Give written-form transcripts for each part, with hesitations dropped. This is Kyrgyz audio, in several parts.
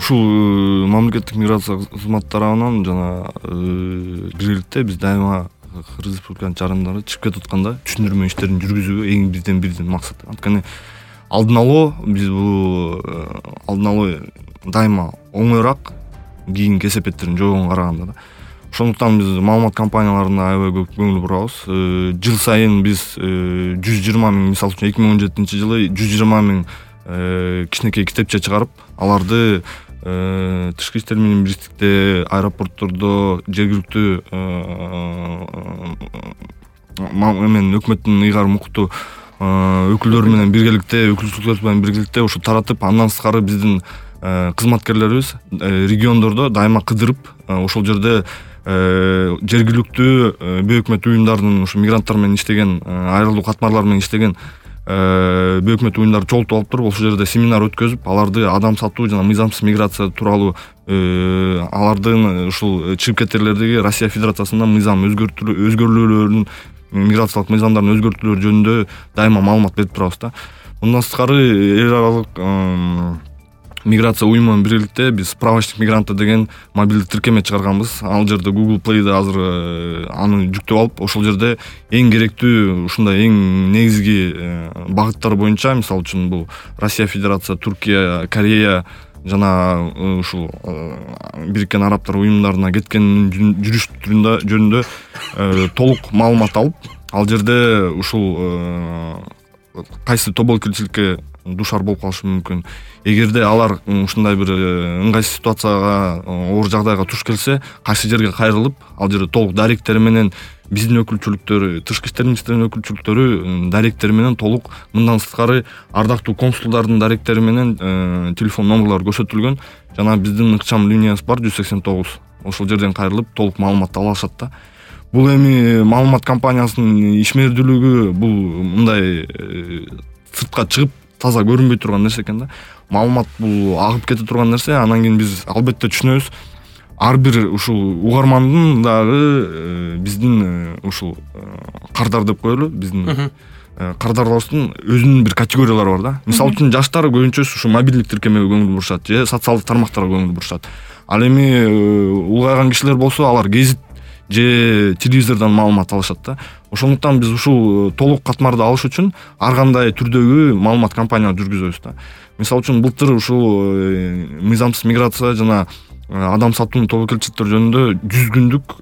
ушул мамлекеттик миграция кызматтары тарабынан жана бир эле биз дайыма Кыргыз Республиканын чарындары чыгып кетип атканда түшүндүрмө иштерин жүргүзүү эң биздин максат. Анткени алдын алуу биз бул алдын алуу дайыма оңоюраак кийинки кесепеттерин жоогун караганда да. Ошондуктан биз маалымат компанияларына аябай көп көңүл бурабыз. Жыл сайын биз 120 миң, мисалы үчүн 2017-жылы 120 миң кичинекей китепче чыгарып, аларды тышкы иштер менен бириктикте, аэропорттордо, жергиликтүү өкмөттүн ыйгарым укуктуу өкүлдөрү менен биргеликте, өкүлчүлүктөр менен биргеликте ушу таратып, андан сырткары биздин кызматкерлерибиз региондордо дайыма кыдырып, ошол жерде жергиликтүү бейөкмөт уюмдардын ушу мигранттар менен иштеген, айрылуу катмарлар менен иштеген бейөкмөт уюмдарды чогултуп алып туруп, ошол жерде семинар өткөзүп, аларды адам сатуу жана мыйзамсыз миграция тууралуу алардын ушул чыгып кетерлердеги Россия Федерациясында мыйзам өзгөрүүлөрүн, миграциялык мыйзамдардын өзгөртүүлөрү жөнүндө дайыма маалымат берип турабыз да. Мындан сырткары эл аралык миграция уюму менен биргеликте биз справочник мигранта деген мобилдик тиркеме чыгарганбыз. Ал жерде Google Play'де азыр аны жүктөп алып, ошол жерде эң керектүү ушундай эң негизги багыттар боюнча, мисалы үчүн бул Россия Федерация, Туркия, Корея жана ушул Бириккен Арабтар уюмдарына кеткен жүрүш жөнүндө толук маалымат алып, ал жерде ушул кайсы тобокелчиликке душар болуп калышы мүмкүн. Эгерде алар ушундай бир ыңгайсыз ситуацияга, оор жагдайга туш келсе, кайсы жерге кайрылып, ал жерде толук даректери менен биздин өкүлчүлүктөр, тышкы иштер министрлигинин өкүлчүлүктөрү даректери менен толук, мындан сырткары ардактуу консулдардын даректери менен телефон номерлору көрсөтүлгөн жана биздин ыкчам линиясы бар 189. Ошол жерден кайрылып толук маалымат ала алышат да. Бул эми маалымат компаниясынын ишмердүүлүгү бул мындай сыртка чыгып таза көрүнбөй турган нерсе экен да. Маалымат бул агып кете турган нерсе. Анан кийин биз албетте түшүнөбүз. Ар бир ушул угармандын дагы биздин ушул кардар деп коелу, биздин кардарларыбыздын өзүнүн бир категориялары бар да. Мисалы үчүн жаштар көбүнчөсү ушу мобилдик тиркемеге көңүл бурушат же социалдык тармактарга көңүл бурушат. Ал эми улгайган кишилер болсо, алар гезит же телевизордон маалымат алышат да. Ошондуктан биз ушул толук катмарды алыш үчүн ар кандай түрдөгү маалымат компанияларды жүргүзөбүз да. Мисалы үчүн былтыр ушул мыйзамсыз миграция жана адам сатуунун тобокелчиликтер жөнүндө 100 күндүк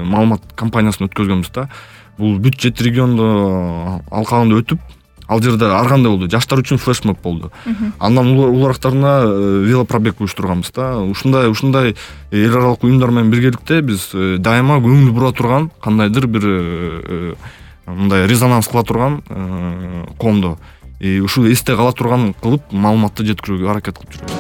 маалымат кампаниясын өткөзгөнбүз да. Бул бүт 7 региондо алкагында өтүп, ал жерде ар кандай болду. Жаштар үчүн флешмоб болду. Андан улуурактарына велопробег уюштурганбыз да. Ушундай эл аралык уюмдар менен биргеликте биз дайыма көңүл бура турган, кандайдыр бир мындай резонанс кыла турган коомдо ушул эсте кала турган кылып маалыматты жеткирүүгө аракет кылып жүрөбүз.